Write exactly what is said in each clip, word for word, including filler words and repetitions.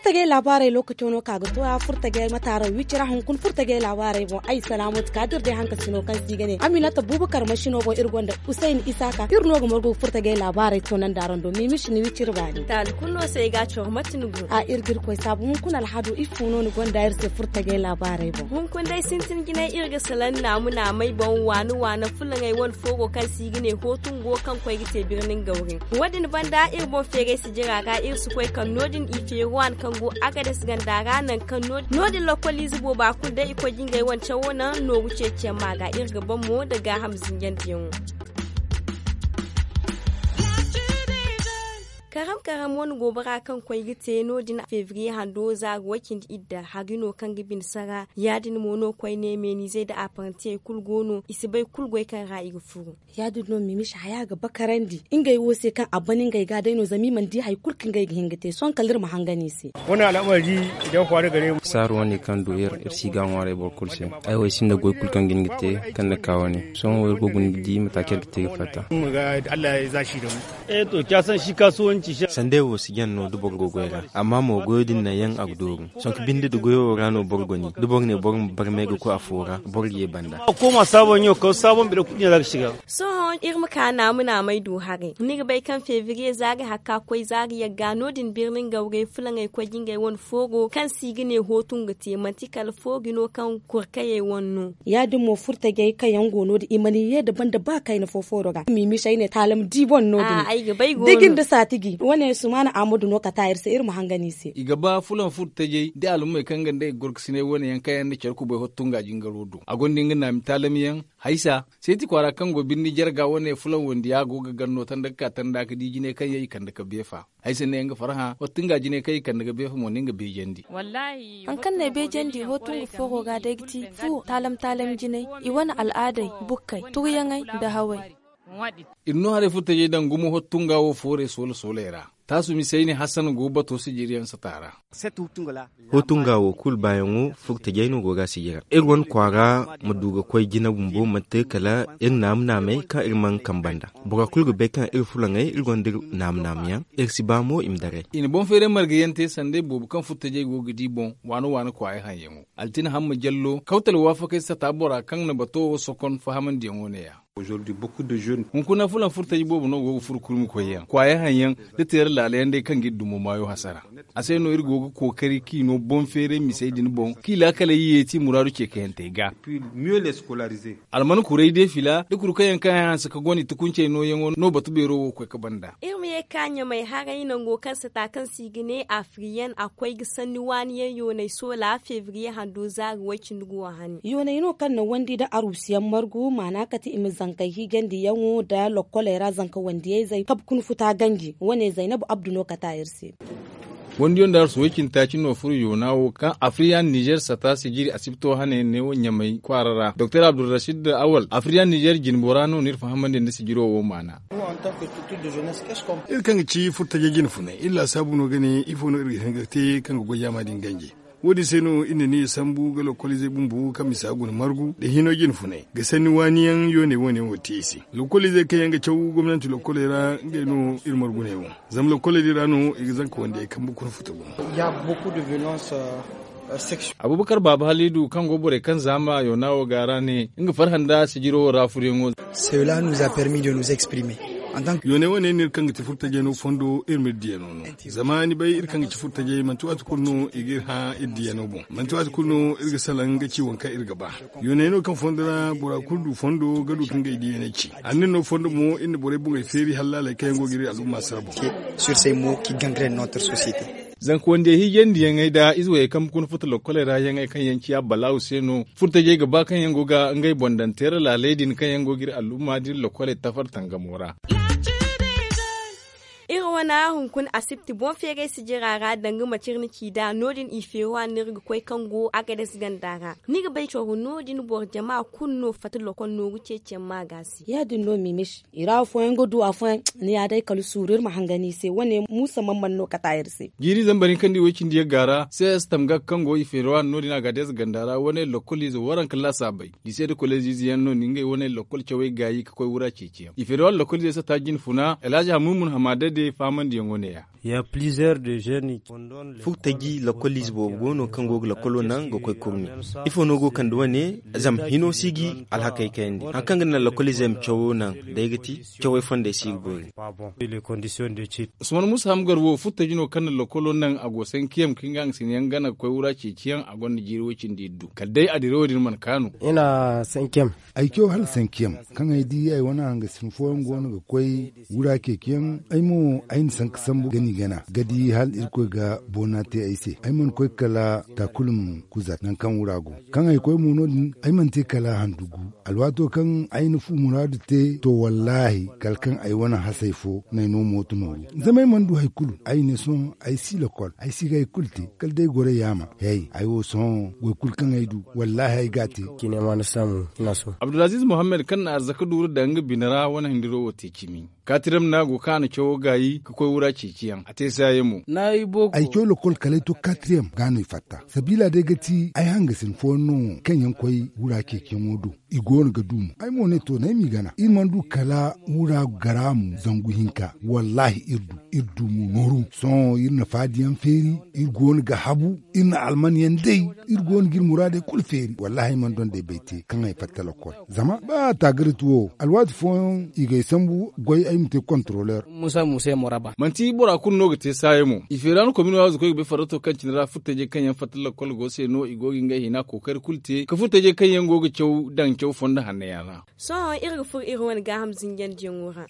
Furtajey laabaarey lookaco no ka ga to ya furtajey mataaraw wicira hunkuna furtajey laabaarey boŋ ay salaamooti ka da iri day hankasino kaŋ se i ga ne aminata buubakar masino boŋ iri gonda, husayn isaaka iri no ga margu ga furtajey laabaarey to nanda araŋ do miimisi ni wiciri baani. Taali kulu no se ay ga a coro mate ni go a iri ga iri koy saabu hunkuna alhado ifo no ni gonda iri se furtajey laabaarey boŋ hunkuna day sintin jinay iri ga salaŋ naamu naamay boŋ waana waana fulaŋey wane foogo kaŋ se i ga ne hootungo kaŋ koy ga te birnin gawrin. Wo- din banda iri boŋ feeray sijira ra iri si koy kaŋ no- din i feeri waani kaŋ go agades ganda ra nangu kaŋ no- din lokoliize booba kulu day i koy ga ngey wane cawo naŋ nooru ceeciyaŋ ma ga iri ga ban mo nda gaaham zinjandiyaŋo. Karam karam wane goobara kaŋ koy ga te no- din febriye hando zaari way-cindi idda hari no kaŋ ga bine sara ya- din mo no koyne meenizey nda aparantiyey kulu go no i si bay kulu goy kaŋ ra i ga furu. Ya- din no miimishi haya ga bakarandi ngey wo se kaŋ a ban ngey ga day no zama i mana di hari kulu kaŋ ngey ga hin ga te sohõ kala iri ma hangan i se. Saaru wane kaŋ du iri iri si ga ŋwaaray boro kulu se. Ay wo ay sinda goy kulu kaŋ ga hin ga te kaŋ ni ka wane sohõ wo iri go ga guna ga di mate kaŋ iri ga te ga fatta. Sandey wo si jaŋ no da boro go goy ra amma mo goyo din naŋ yaŋ a ga dooru. Sonka binde da goyo wo ra no boro goni da boro ne boro ma barmay ga koy afo ra boro ga ye banda. Sohõ iri ma ka naamu naamay du haray ni ga bay kaŋ febriye zaari hakka koy zaari yagga no- din birni nga wurey fulaŋey koy ga ngey wane foogo kaŋ se i ga ne hootu nga te manti kala foogi no kaŋ kurkayey wane no. Ya- din mo furtajey kaŋ yaŋ go no- din i mana ye nda banda ba kayna fo fooro ga miimisey ne taalam di boŋ no- din da jin da saatiji wane sumaana ahmadu no kata iri se iri ma hangan i se. I ga ba fulaŋ furtajey da alumey kaŋ ga nda i ga gorkasinay wane yaŋ kaŋ yaŋ nda care kubay hottunga jingaro do a gonda nga naami taalam yaŋ. Haysa seeti kwaara kaŋ go birni jarga wane fulaŋ wandiya go ga ganno tanda ga ka tanda ga di jinay kaŋ yaŋ i kande ga beefa. Haysa ne nga farhã hottunga jinay kaŋ i kande ga beefa mo ne nga beejandi. Hari kaŋ no ay beejandi hootungu fooro ga day ga ti fu taalam taalam jinay i wane al'aadey bukkey turyaŋey nda hawey. Iri no haray furtajey daŋ gumo hottunga wo foorey soola sooley ra. Taasu misayni hasan go bato sijiriyaŋ sata ra. Hootunga wo kulu baayaŋo furtajey no go ga sijira iri wane kwaara ma du ga koy jina bumbo manti kala iri naamu naamey kaŋ iri mana kambe nd'a. Bora kulu ga bay kaŋ iri fulaŋey iri gonda iri naamu naamu yaŋ. Iri si ba mo i ma daray. I na boŋ feeray marga yaŋ te sanday boobo kaŋ furtajey go ga di boŋ waana waana kwaayey haŋyaŋo. Altina hamma jallo kawtal waafakey sata bora kaŋ na bato wo sokon fahamandiyaŋo ne- ya. Hunkuna fulaŋ furtaji boobo no go ga furo kurmi koyyaŋ kwaaya haŋ yaŋ da teera laala yaŋ day kaŋ ga iri dumo maayo hasara. A se no iri go ga kookari kaŋ i no boŋ feeray misey din boŋ kaŋ i laakaley yeeti muraadu ceekayantey ga. Alman kuray de fila da kuru kaŋ yaŋ kaŋ ay hanse ka gone tukuncey nooyaŋo no batu beero wo koy ga banda. Iri ma ye ga ka ɲamay haray nango kaŋ sata kaŋ se i ga ne afiriyan a koy ga sanni waani yaŋ yoonay soola febriye hando zaari way-cindi go a hane. Yooney no kaŋ na wandi nda aruusiyaŋ margu maana kate i ma zankey hiijandiyaŋo nda lokkoley ra zanka wandiyayzey kabe kuna futa ganji wane zaynabu abdu no kate a iri se. Wandiyo nda arsu way-cindi taaci no furo yoona wo kaŋ afriyan nizer sata sijiri asibto hane ne wo ɲamay kwaara ra doktor abdulrasid awal afriyan nizer jinbora no no iri fahamandi nda sijiro wo maana. Iri kaŋ ga ci furtajey jine funay iri laasaabu no ga ne ifo no iri ga hin ga te kaŋ ga goy yaama din ganji. Wo- din se no iri na ni sambu ga lokoliizey bumbo kaŋ misa guna margu nda hino jine funay ga sanni waani yaŋ yooney wane wo te i se. Lokoliizey kaŋ yaŋ ga caw gomnanti lokoley ra ngey no iri marguney wo. Zama lokkoley din ra no i ga zanka wandiyey kambe kuna futa gumo. Abubakar baaba haliidu kaŋ go borey kaŋ zaama yoona wo ga ra ne nga farhã nda sijiro wo ra furyaŋo. Yooney wane no iri kaŋ ga ti furtajey no fondo iri ma iri diyaŋo no. Zama ni bay iri kaŋ ga ci furtajey manti waati kulu no i ga iri hã iri diyaŋo boŋ manti waati kulu no iri ga salaŋ ga ci waŋ kaŋ iri ga ba. Yooney no kaŋ fondo ra bora kulu du fondo ga du ka ngey diyaney ci. Annin no fondo mo iri na borey boŋey feeri hallaaley kaŋ yaŋ go ga iri al'umma sara boŋ. Zanka wandiyey hiijandiyaŋey nda ize wayey kaŋ ga kuna futa lokkoley ra yaŋey kaŋ yaŋ ciya balaawu se no. Furtajey ga ba kaŋ yaŋ go ga ngey boŋ daŋ teera laaley din kaŋ yaŋ go ga iri al'umma da iri lokkoley tafar tangamo ra. Iri wane hunkuna asibti boŋ feeray sijira ra danga manci iri na ci nd'a no- din i feeri waani no iri ga koy kaŋ go agades ganda ra. Ni ga bay coro no- din boro jama kulu no fatta lokol nooru ceeciyaŋ ma ga se. Ya- din no miimish i ra afooyaŋ ga du afooyaŋ. Ni ya day kala suuru iri ma hangan i se wane muusa man man no kata iri se. Jiiri zambar hinka nda i way-cindi yagga ra cs tamgak kaŋ go i feeri waani no- din agades ganda ra wane lokoliize waranka laasaabey. Lise nda koleeziize yaŋ no ni ngey wane lokol cawey gaayi ga koy wura ceeciyaŋ i feeri waani lokoliizey sata jine funa alhazi hamumun hamaada de faamandiyaŋo ne- ya. Furtaji lakkoliize boobo go no kaŋ go ga lakkolo naŋ ga koy kurmi. Ifo no go kande wane? Zama hino si ga alhakey kayandi. Hari kaŋ ga naŋ lakkoliizey ma cawo naŋ, day ga ti cawey fondey si ga boori. Usman musa hamgar wo furtaji no kaŋ na lakkolo naŋ a go sankiyam kaŋ ga nga sinayaŋ gana ga koy wura ceeciyaŋ a gonda jiiri way cindi iddu kala day a dirawo din mana kaanu. Ay caw hala sankiyam kaŋ ay di ay wane hangasin fooyaŋ go no ga koy wura ceeciyaŋ. Ay mo ay na sanka sambu gani gana ga di hala irkoy ga boona te ay se. Ay mana koy kala takulum kuzar nangu kaŋ wura go. Kaŋ ay koy mo no- din ay mana te kala handugu. Alwaato kaŋ ay na fu muraadu te to wallaahi kala kaŋ ay wane hasay fo no ay no mooto nooru. Zama ay mana du hari kulu ay ne sohõ ay si lakkol ay si ga hari kulu te. Kala day goray yaama. Hey, ay wo sohõ goy kulu kaŋ ay du wallaahi ay ga a te. Abdulaziiz muhammad kaŋ na arzaka duuru daŋ nga bine ra wane hindiro wo te cimi. Kaatiram no a go kaŋ a na cawo gaayi ga koy wura ceeciyaŋ a te saaya mo. Ay caw lakkol kala ay to kaatiram ga no i fatta sabiila day ga ti ay hangasin fooyaŋ no kaŋ yaŋ koy wura ceeciyaŋo do. I go no ga du mo ay mo ne to no ay m'i gana iri mana du kala wura garaamu zangu hinka wallaahi iri du. Iri du mo nooru sohõ iri na faadiyaŋ feeri. Iri go no ga habu iri na almanyaŋ day. Iri go no ga iri muraadey kulu feeri wallaahi ay mana donday bay te kaŋ ay fatta lakkol. Zama ba taagarati wo alwaati fooyaŋ i ga ay sambu goy ay ma te kontaroleer. Manti bora kulu no ga te saaya mo i feera no komino waazu koy ga bay farrato kaŋ cine ra furtajey kaŋ yaŋ fatta lakkol go se no i go ga ngey hina kookari kulu te ka furtajey kaŋ yaŋ go ga caw daŋ caw fondo hanno yaŋ ra. Sohõ iri ga furo iri wane gaaham zinjandiyaŋo ra.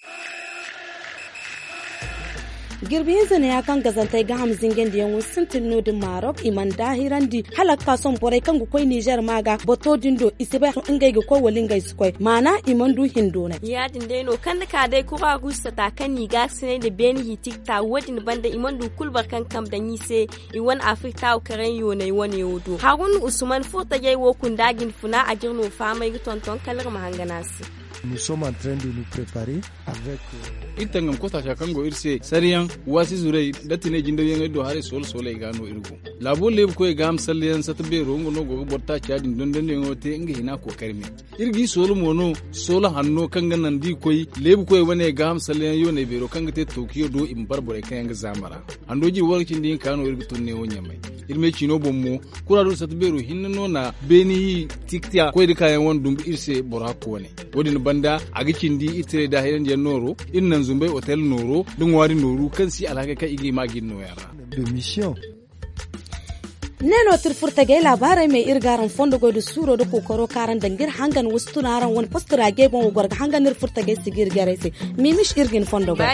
Jirbi hinza neeya kaŋ gazantey gaaham zinjandiyaŋo sintin no- din maarok i mana daahirandi hala ga ka sohõ borey kaŋ ga koy nizer ma ga bato din do i si bay ngey ga koy wala ngey si koy maana i mana du hindoonay. Ya- din day no kaŋ ni ka day kura guusata kaŋ no i gaakasinay nda beeni hiitikta wo- din banda i mana du kulu boro kaŋ kambe daŋ i se. I wane afirka wo karaŋ yoonay wane wo do harun usman furtajey wo kunda ga ni funa a jire no fahamay ga tonton kala iri ma hangan a se. Iri tangam kotaaca kaŋ go iri se sariyaŋ waasi zurey nda tinay jindawyaŋey do haray soola sooley ga no iri go. Laabo leebu koyey ga a ma salleyaŋ sata beero nga no go ga boro taaca din dondandiyaŋo te nga hina kookari me. Iri g'i soola mo no soola hanno kaŋ ga naŋ da i koy leebu koyey wane ga a ma salleyaŋ yooney beero kaŋ ga te tookiyo do i ma bara borey kaŋ yaŋ ga zaama ra. Hando jiri waranka cindi hinka no iri ga tun neewo ɲamay. Iri me ciino boŋ mo kura do sata beero hinne no na beeni tiktiya koy nda kaayaŋ wane dumbu iri se boro hakko wane. Wo- din banda a ga cindi iri tiray daahirandi yaŋ nooro iri naŋ zumbay otel nooro nda ŋwaari nooru kaŋ si alhakey kaŋ i ga hima ga iri nooyaŋ ra. Ne no ti iri furtajey laabaarey me iri ga araŋ fondo goy nda suuro nda kookaro kaŋ araŋ daŋ ga iri hangan wasu tun araŋ wane posto ra jey boŋ wo goro ga hangan iri furtajey si ga iri jarey se. Miimish iri ga ni fondo goy.